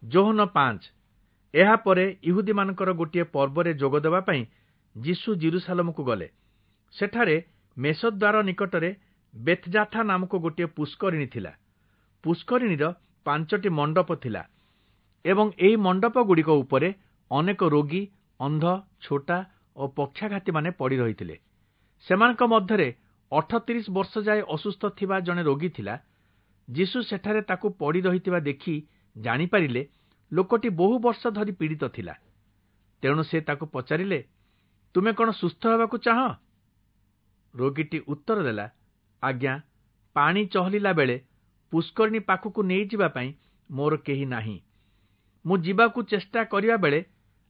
ଯୋହନ 5। ଏହାପରେ ଇହୁଦୀମାନଙ୍କର ଗୋଟିଏ ପର୍ବରେ ଯୋଗ ଦେବା ପାଇଁ ଯୀଶୁ ଯିରୂଶାଲମକୁ ଗଲେ। ସେଠାରେ ମେଷଦ୍ୱାର ନିକଟରେ ବେଥ୍‌ଜାଥା ନାମକ ଗୋଟିଏ ପୁଷ୍କରିଣୀ ଥିଲା। ପୁଷ୍କରିଣୀର 5ଟି ମଣ୍ଡପ ଥିଲା ଏବଂ ଏହି ମଣ୍ଡପଗୁଡ଼ିକ ଉପରେ ଅନେକ ରୋଗୀ, ଅନ୍ଧ, ଛୋଟା ଓ ପକ୍ଷାଘାତୀମାନେ ପଡ଼ି ରହିଥିଲେ। ସେମାନଙ୍କ ମଧ୍ୟରେ 38 ବର୍ଷ ଯାଏ ଅସୁସ୍ଥ ଥିବା ଜଣେ ରୋଗୀ ଥିଲା। ଯୀଶୁ ସେଠାରେ ତାକୁ ପଡ଼ି ରହିଥିବା ଦେଖି ଜାଣିପାରିଲେ ଲୋକଟି ବହୁ ବର୍ଷ ଧରି ପୀଡ଼ିତ ଥିଲା। ତେଣୁ ସେ ତାକୁ ପଚାରିଲେ, ତୁମେ କଣ ସୁସ୍ଥ ହେବାକୁ ଚାହଁ? ରୋଗୀଟି ଉତ୍ତର ଦେଲା, ଆଜ୍ଞା, ପାଣି ଚହଲିଲା ବେଳେ ପୁଷ୍କରିଣୀ ପାଖକୁ ନେଇଯିବା ପାଇଁ ମୋର କେହି ନାହିଁ। ମୁଁ ଯିବାକୁ ଚେଷ୍ଟା କରିବା ବେଳେ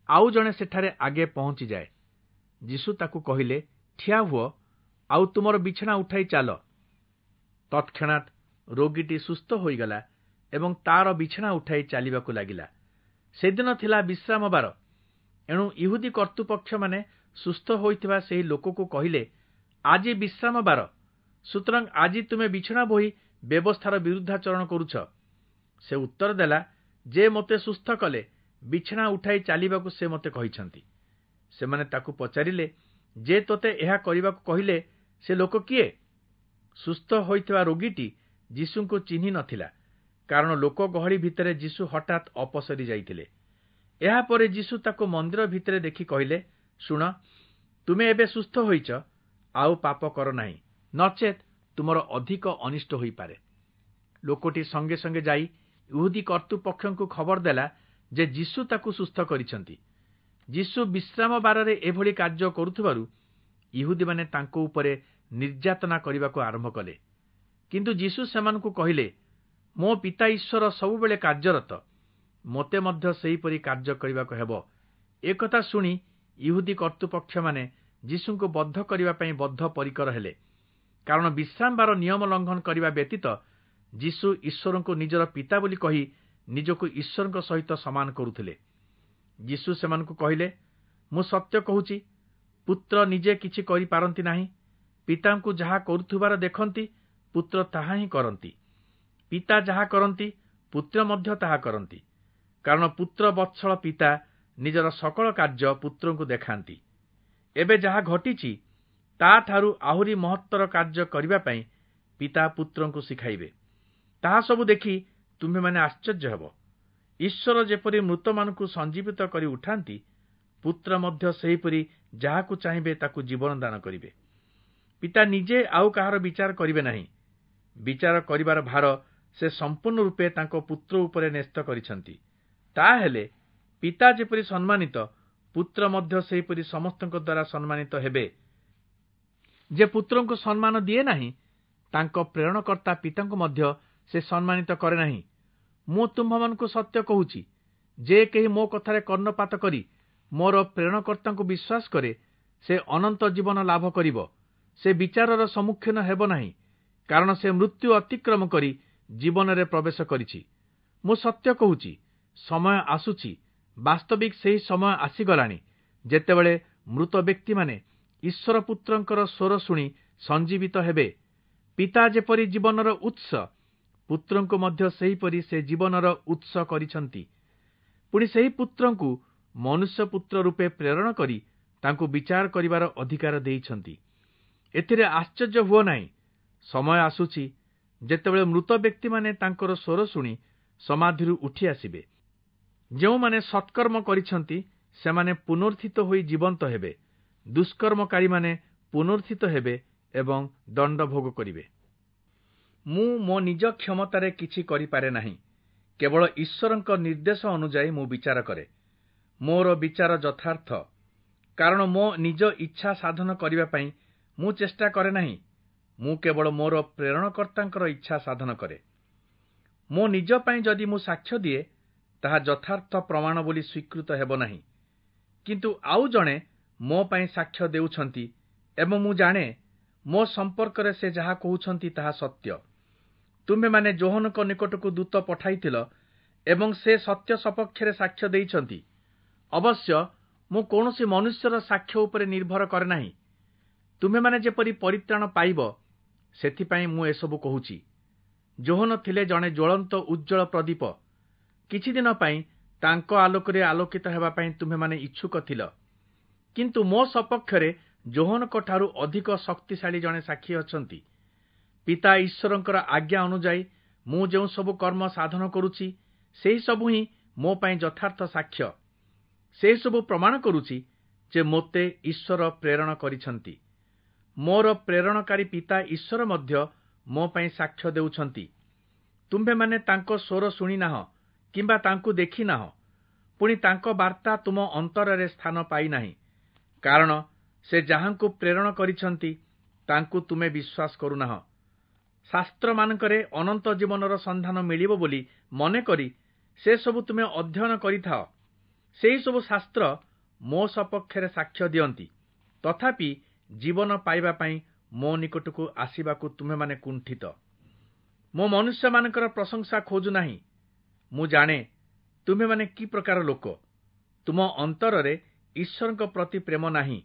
ଆଉ ଜଣେ ସେଠାରେ ଆଗେ ପହଞ୍ଚିଯାଏ। ଯୀଶୁ ତାକୁ କହିଲେ, ଠିଆ ହୁଅ, ଆଉ ତୁମର ବିଛଣା ଉଠାଇ ଚାଲ। ତତ୍କ୍ଷଣାତ୍ ରୋଗୀଟି ସୁସ୍ଥ ହୋଇଗଲା ଏବଂ ତାର ବିଛଣା ଉଠାଇ ଚାଲିବାକୁ ଲାଗିଲା। ସେଦିନ ଥିଲା ବିଶ୍ରାମବାର। ଏଣୁ ଇହୁଦୀ କର୍ତ୍ତୃପକ୍ଷମାନେ ସୁସ୍ଥ ହୋଇଥିବା ସେହି ଲୋକକୁ କହିଲେ, ଆଜି ବିଶ୍ରାମବାର, ସୁତରାଂ ଆଜି ତୁମେ ବିଛଣା ବୋହି ବ୍ୟବସ୍ଥାର ବିରୁଦ୍ଧାଚରଣ କରୁଛ। ସେ ଉତ୍ତର ଦେଲା, ଯେ ମୋତେ ସୁସ୍ଥ କଲେ, ବିଛଣା ଉଠାଇ ଚାଲିବାକୁ ସେ ମୋତେ କହିଛନ୍ତି। ସେମାନେ ତାକୁ ପଚାରିଲେ, ଯେ ତୋତେ ଏହା କରିବାକୁ କହିଲେ ସେ ଲୋକ କିଏ? ସୁସ୍ଥ ହୋଇଥିବା ରୋଗୀଟି ଯୀଶୁଙ୍କୁ ଚିହ୍ନି ନଥିଲା, କାରଣ ଲୋକ ଗହଳି ଭିତରେ ଯୀଶୁ ହଠାତ୍ ଅପସରି ଯାଇଥିଲେ। ଏହାପରେ ଯୀଶୁ ତାକୁ ମନ୍ଦିର ଭିତରେ ଦେଖି କହିଲେ, ଶୁଣ, ତୁମେ ଏବେ ସୁସ୍ଥ ହୋଇଛ, ଆଉ ପାପ କର ନାହିଁ, ନଚେତ୍ ତୁମର ଅଧିକ ଅନିଷ୍ଟ ହୋଇପାରେ। ଲୋକଟି ସଙ୍ଗେ ସଙ୍ଗେ ଯାଇ ଇହୁଦୀ କର୍ତ୍ତୃପକ୍ଷଙ୍କୁ ଖବର ଦେଲା ଯେ ଯୀଶୁ ତାକୁ ସୁସ୍ଥ କରିଛନ୍ତି। ଯୀଶୁ ବିଶ୍ରାମବାରରେ ଏଭଳି କାର୍ଯ୍ୟ କରୁଥିବାରୁ ଇହୁଦୀମାନେ ତାଙ୍କ ଉପରେ ନିର୍ଯାତନା କରିବାକୁ ଆରମ୍ଭ କଲେ। କିନ୍ତୁ ଯୀଶୁ ସେମାନଙ୍କୁ କହିଲେ, ମୋ ପିତା ଈଶ୍ୱର ସବୁବେଳେ କାର୍ଯ୍ୟରତ, ମୋତେ ମଧ୍ୟ ସେହିପରି କାର୍ଯ୍ୟ କରିବାକୁ ହେବ। ଏକଥା ଶୁଣି ଇହୁଦୀ କର୍ତ୍ତୃପକ୍ଷମାନେ ଯୀଶୁଙ୍କୁ ବଦ୍ଧ କରିବା ପାଇଁ ବଦ୍ଧ ପରିକର ହେଲେ, କାରଣ ବିଶ୍ରାମବାର ନିୟମ ଲଙ୍ଘନ କରିବା ବ୍ୟତୀତ ଯୀଶୁ ଈଶ୍ୱରଙ୍କୁ ନିଜର ପିତା ବୋଲି କହି ନିଜକୁ ଈଶ୍ୱରଙ୍କ ସହିତ ସମାନ କରୁଥିଲେ। ଯୀଶୁ ସେମାନଙ୍କୁ କହିଲେ, ମୁଁ ସତ୍ୟ କହୁଛି, ପୁତ୍ର ନିଜେ କିଛି କରିପାରନ୍ତି ନାହିଁ। ପିତାଙ୍କୁ ଯାହା କରୁଥିବାର ଦେଖନ୍ତି, ପୁତ୍ର ତାହା ହିଁ କରନ୍ତି। ପିତା ଯାହା କରନ୍ତି, ପୁତ୍ର ମଧ୍ୟ ତାହା କରନ୍ତି। କାରଣ ପୁତ୍ର ବତ୍ସଳ ପିତା ନିଜର ସକଳ କାର୍ଯ୍ୟ ପୁତ୍ରଙ୍କୁ ଦେଖାନ୍ତି। ଏବେ ଯାହା ଘଟିଛି ତାଠାରୁ ଆହୁରି ମହତ୍ତର କାର୍ଯ୍ୟ କରିବା ପାଇଁ ପିତା ପୁତ୍ରଙ୍କୁ ଶିଖାଇବେ। ତାହା ସବୁ ଦେଖି ତୁମ୍ଭେମାନେ ଆଶ୍ଚର୍ଯ୍ୟ ହେବ। ଈଶ୍ୱର ଯେପରି ମୃତମାନଙ୍କୁ ସଞ୍ଜୀବିତ କରି ଉଠାନ୍ତି, ପୁତ୍ର ମଧ୍ୟ ସେହିପରି ଯାହାକୁ ଚାହିଁବେ ତାକୁ ଜୀବନ ଦାନ କରିବେ। ପିତା ନିଜେ ଆଉ କାହାର ବିଚାର କରିବେ ନାହିଁ। ବିଚାର କରିବାର ଭାର ସେ ସମ୍ପୂର୍ଣ୍ଣ ରୂପେ ତାଙ୍କ ପୁତ୍ର ଉପରେ ନ୍ୟସ୍ତ କରିଛନ୍ତି। ତାହେଲେ ପିତା ଯେପରି ସମ୍ମାନିତ, ପୁତ୍ର ମଧ୍ୟ ସେହିପରି ସମସ୍ତଙ୍କ ଦ୍ୱାରା ସମ୍ମାନିତ ହେବେ। ଯେ ପୁତ୍ରଙ୍କୁ ସମ୍ମାନ ଦିଏ ନାହିଁ, ତାଙ୍କ ପ୍ରେରଣକର୍ତ୍ତା ପିତାଙ୍କୁ ମଧ୍ୟ ସେ ସମ୍ମାନିତ କରେ ନାହିଁ। ମୁଁ ତୁମ୍ଭମାନଙ୍କୁ ସତ୍ୟ କହୁଛି, ଯେ କେହି ମୋ କଥାରେ କର୍ଣ୍ଣପାତ କରି ମୋର ପ୍ରେରଣକର୍ତ୍ତାଙ୍କୁ ବିଶ୍ୱାସ କରେ, ସେ ଅନନ୍ତ ଜୀବନ ଲାଭ କରିବ। ସେ ବିଚାରର ସମ୍ମୁଖୀନ ହେବ ନାହିଁ, କାରଣ ସେ ମୃତ୍ୟୁ ଅତିକ୍ରମ କରି ଜୀବନରେ ପ୍ରବେଶ କରିଛି। ମୁଁ ସତ୍ୟ କହୁଛି, ସମୟ ଆସୁଛି, ବାସ୍ତବିକ ସେହି ସମୟ ଆସିଗଲାଣି, ଯେତେବେଳେ ମୃତ ବ୍ୟକ୍ତିମାନେ ଈଶ୍ୱର ପୁତ୍ରଙ୍କର ସ୍ୱର ଶୁଣି ସଞ୍ଜୀବିତ ହେବେ। ପିତା ଯେପରି ଜୀବନର ଉତ୍ସ, ପୁତ୍ରଙ୍କୁ ମଧ୍ୟ ସେହିପରି ସେ ଜୀବନର ଉତ୍ସ କରିଛନ୍ତି। ପୁଣି ସେହି ପୁତ୍ରଙ୍କୁ ମନୁଷ୍ୟ ପୁତ୍ର ରୂପେ ପ୍ରେରଣ କରି ତାଙ୍କୁ ବିଚାର କରିବାର ଅଧିକାର ଦେଇଛନ୍ତି। ଏଥିରେ ଆଶ୍ଚର୍ଯ୍ୟ ହୁଅ ନାହିଁ। ସମୟ ଆସୁଛି ଯେତେବେଳେ ମୃତ ବ୍ୟକ୍ତିମାନେ ତାଙ୍କର ସ୍ୱର ଶୁଣି ସମାଧିରୁ ଉଠି ଆସିବେ। ଯେଉଁମାନେ ସତ୍କର୍ମ କରିଛନ୍ତି ସେମାନେ ପୁନରୁତ୍ଥିତ ହୋଇ ଜୀବନ୍ତ ହେବେ। ଦୁଷ୍କର୍ମକାରୀମାନେ ପୁନରୁତ୍ଥିତ ହେବେ ଏବଂ ଦଣ୍ଡ ଭୋଗ କରିବେ। ମୁଁ ମୋ ନିଜ କ୍ଷମତାରେ କିଛି କରିପାରେ ନାହିଁ, କେବଳ ଈଶ୍ୱରଙ୍କ ନିର୍ଦ୍ଦେଶ ଅନୁଯାୟୀ ମୁଁ ବିଚାର କରେ। ମୋର ବିଚାର ଯଥାର୍ଥ, କାରଣ ମୋ ନିଜ ଇଚ୍ଛା ସାଧନ କରିବା ପାଇଁ ମୁଁ ଚେଷ୍ଟା କରେ ନାହିଁ। ମୁଁ କେବଳ ମୋର ପ୍ରେରଣକର୍ତ୍ତାଙ୍କର ଇଚ୍ଛା ସାଧନ କରେ। ମୋ ନିଜ ପାଇଁ ଯଦି ମୁଁ ସାକ୍ଷ୍ୟ ଦିଏ, ତାହା ଯଥାର୍ଥ ପ୍ରମାଣ ବୋଲି ସ୍ୱୀକୃତ ହେବ ନାହିଁ। କିନ୍ତୁ ଆଉ ଜଣେ ମୋ ପାଇଁ ସାକ୍ଷ୍ୟ ଦେଉଛନ୍ତି ଏବଂ ମୁଁ ଜାଣେ ମୋ ସମ୍ପର୍କରେ ସେ ଯାହା କହୁଛନ୍ତି ତାହା ସତ୍ୟ। ତୁମ୍ଭେମାନେ ଯୋହନଙ୍କ ନିକଟକୁ ଦୂତ ପଠାଇଥିଲ ଏବଂ ସେ ସତ୍ୟ ସପକ୍ଷରେ ସାକ୍ଷ୍ୟ ଦେଇଛନ୍ତି। ଅବଶ୍ୟ ମୁଁ କୌଣସି ମନୁଷ୍ୟର ସାକ୍ଷ୍ୟ ଉପରେ ନିର୍ଭର କରେ ନାହିଁ। ତୁମ୍ଭେମାନେ ଯେପରି ପରିତ୍ରାଣ ପାଇବ, ସେଥିପାଇଁ ମୁଁ ଏସବୁ କହୁଛି। ଯୋହନ ଥିଲେ ଜଣେ ଜ୍ୱଳନ୍ତ ଉଜ୍ଜ୍ୱଳ ପ୍ରଦୀପ, କିଛି ଦିନ ପାଇଁ ତାଙ୍କ ଆଲୋକରେ ଆଲୋକିତ ହେବା ପାଇଁ ତୁମ୍ଭେମାନେ ଇଚ୍ଛୁକ ଥିଲ। କିନ୍ତୁ ମୋ ସପକ୍ଷରେ ଯୋହନଙ୍କଠାରୁ ଅଧିକ ଶକ୍ତିଶାଳୀ ଜଣେ ସାକ୍ଷୀ ଅଛନ୍ତି। ପିତା ଈଶ୍ୱରଙ୍କର ଆଜ୍ଞା ଅନୁଯାୟୀ ମୁଁ ଯେଉଁ ସବୁ କର୍ମ ସାଧନ କରୁଛି, ସେହି ସବୁ ହିଁ ମୋ ପାଇଁ ଯଥାର୍ଥ ସାକ୍ଷ୍ୟ। ସେସବୁ ପ୍ରମାଣ କରୁଛି ଯେ ମୋତେ ଈଶ୍ୱର ପ୍ରେରଣ କରିଛନ୍ତି। ମୋର ପ୍ରେରଣକାରୀ ପିତା ଈଶ୍ୱର ମଧ୍ୟ ମୋ ପାଇଁ ସାକ୍ଷ୍ୟ ଦେଉଛନ୍ତି। ତୁମ୍ଭେମାନେ ତାଙ୍କ ସ୍ୱର ଶୁଣିନାହଁ କିମ୍ବା ତାଙ୍କୁ ଦେଖିନାହଁ, ପୁଣି ତାଙ୍କ ବାର୍ତ୍ତା ତୁମ ଅନ୍ତରରେ ସ୍ଥାନ ପାଇନାହିଁ, କାରଣ ସେ ଯାହାଙ୍କୁ ପ୍ରେରଣ କରିଛନ୍ତି ତାଙ୍କୁ ତୁମେ ବିଶ୍ୱାସ କରୁନାହଁ। ଶାସ୍ତ୍ରମାନଙ୍କରେ ଅନନ୍ତ ଜୀବନର ସନ୍ଧାନ ମିଳିବ ବୋଲି ମନେକରି ସେସବୁ ତୁମେ ଅଧ୍ୟୟନ କରିଥାଅ। ସେହିସବୁ ଶାସ୍ତ୍ର ମୋ ସପକ୍ଷରେ ସାକ୍ଷ୍ୟ ଦିଅନ୍ତି, ତଥାପି ଜୀବନ ପାଇବା ପାଇଁ ମୋ ନିକଟକୁ ଆସିବାକୁ ତୁମ୍ଭେମାନେ କୁଣ୍ଠିତ। ମୁଁ ମନୁଷ୍ୟମାନଙ୍କର ପ୍ରଶଂସା ଖୋଜୁନାହିଁ। ମୁଁ ଜାଣେ ତୁମ୍ଭେମାନେ କି ପ୍ରକାର ଲୋକ। ତୁମ ଅନ୍ତରରେ ଈଶ୍ୱରଙ୍କ ପ୍ରତି ପ୍ରେମ ନାହିଁ।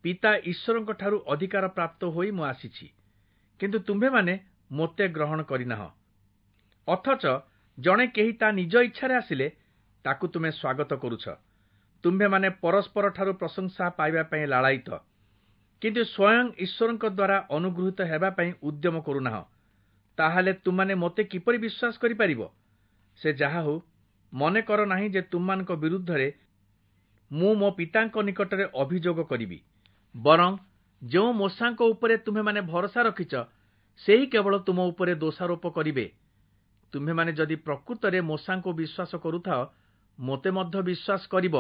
ପିତା ଈଶ୍ୱରଙ୍କଠାରୁ ଅଧିକାର ପ୍ରାପ୍ତ ହୋଇ ମୁଁ ଆସିଛି, କିନ୍ତୁ ତୁମ୍ଭେମାନେ ମୋତେ ଗ୍ରହଣ କରିନାହଁ। ଅଥଚ ଜଣେ କେହି ତା ନିଜ ଇଚ୍ଛାରେ ଆସିଲେ ତାକୁ ତୁମେ ସ୍ୱାଗତ କରୁଛ। ତୁମ୍ଭେମାନେ ପରସ୍ପରଠାରୁ ପ୍ରଶଂସା ପାଇବା ପାଇଁ ଲାଳାୟିତ, କିନ୍ତୁ ସ୍ୱୟଂ ଈଶ୍ୱରଙ୍କ ଦ୍ୱାରା ଅନୁଗୃହୀତ ହେବା ପାଇଁ ଉଦ୍ୟମ କରୁନାହଁ। ତାହେଲେ ତୁମ୍ଭେମାନେ ମୋତେ କିପରି ବିଶ୍ୱାସ କରିପାରିବ? ସେ ଯାହା ହେଉ, ମନେ କର ନାହିଁ ଯେ ତୁମ୍ଭମାନଙ୍କ ବିରୁଦ୍ଧରେ ମୁଁ ମୋ ପିତାଙ୍କ ନିକଟରେ ଅଭିଯୋଗ କରିବି। ବରଂ ଯେଉଁ ମୋଶାଙ୍କ ଉପରେ ତୁମ୍ଭେମାନେ ଭରସା ରଖିଛ, ସେହି କେବଳ ତୁମ ଉପରେ ଦୋଷାରୋପ କରିବେ। ତୁମ୍ଭେମାନେ ଯଦି ପ୍ରକୃତରେ ମୋଶାଙ୍କୁ ବିଶ୍ୱାସ କରୁଥାଅ, ମୋତେ ମଧ୍ୟ ବିଶ୍ୱାସ କରିବ,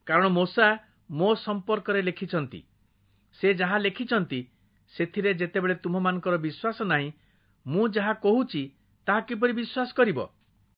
କାରଣ ମୋଶା ମୋ ସମ୍ପର୍କରେ ଲେଖିଛନ୍ତି। ସେ ଯାହା ଲେଖିଛନ୍ତି ସେଥିରେ ଯେତେବେଳେ ତୁମ୍ଭମାନଙ୍କର ବିଶ୍ୱାସ ନାହିଁ, ମୁଁ ଯାହା କହୁଛି ତାହା କିପରି ବିଶ୍ୱାସ କରିବ?